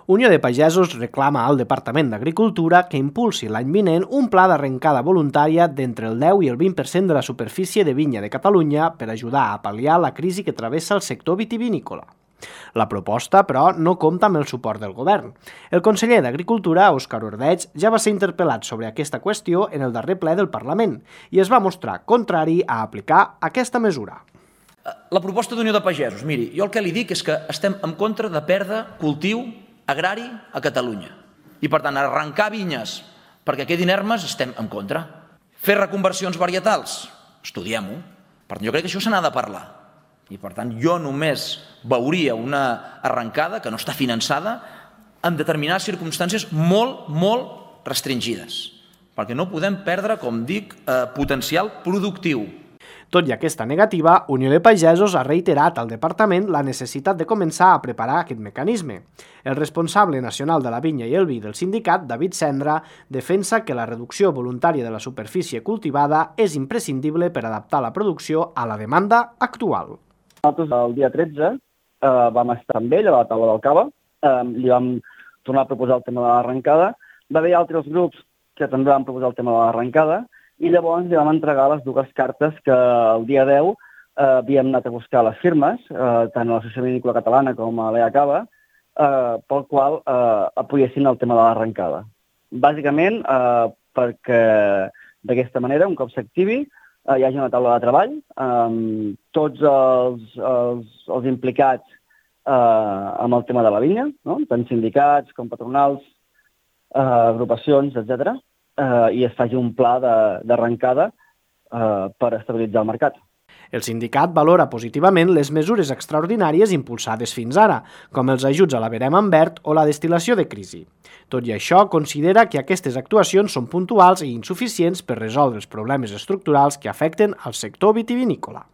Unió de Pagesos reclama al Departament d'Agricultura que impulsi l'any vinent un pla d'arrencada voluntària d'entre el 10 i el 20% de la superfície de vinya de Catalunya per ajudar a pal·liar la crisi que travessa el sector vitivinícola. La proposta, però, no compta amb el suport del govern. El conseller d'Agricultura, Òscar Ordeig, ja va ser interpel·lat sobre aquesta qüestió en el darrer ple del Parlament i es va mostrar contrari a aplicar aquesta mesura. La proposta d'Unió de Pagesos, miri, jo el que li dic és que estem en contra de perdre cultiu agrari a Catalunya. I, per tant, arrencar vinyes perquè quedin ermes estem en contra. Fer reconversions varietals, estudiem-ho. Per tant, jo crec que això se n'ha de parlar. I, per tant, jo només veuria una arrencada que no està finançada en determinades circumstàncies molt restringides. Perquè no podem perdre, com dic, potencial productiu. Tot i aquesta negativa, Unió de Pagesos ha reiterat al departament la necessitat de començar a preparar aquest mecanisme. El responsable nacional de la vinya i el vi del sindicat, David Cendra, defensa que la reducció voluntària de la superfície cultivada és imprescindible per adaptar la producció a la demanda actual. Nosaltres el dia 13 vam estar amb ell a la taula del cava, li vam tornar a proposar el tema de l'arrencada, va haver altres grups que també van proposar el tema de l'arrencada i llavors li vam entregar les dues cartes que el dia 10 havíem anat a buscar a les firmes, tant a l'Associació Vinícola Catalana com a l'EA Cava, pel qual apoyessin el tema de l'arrencada. Bàsicament perquè d'aquesta manera, un cop s'activi, hi hagi una taula de treball, tots els implicats amb el tema de la vinya, no? Tant sindicats com patronals, agrupacions, etc., i es faci un pla d'arrencada per estabilitzar el mercat. El sindicat valora positivament les mesures extraordinàries impulsades fins ara, com els ajuts a la verema en verd o la destil·lació de crisi. Tot i això, considera que aquestes actuacions són puntuals i insuficients per resoldre els problemes estructurals que afecten al sector vitivinícola.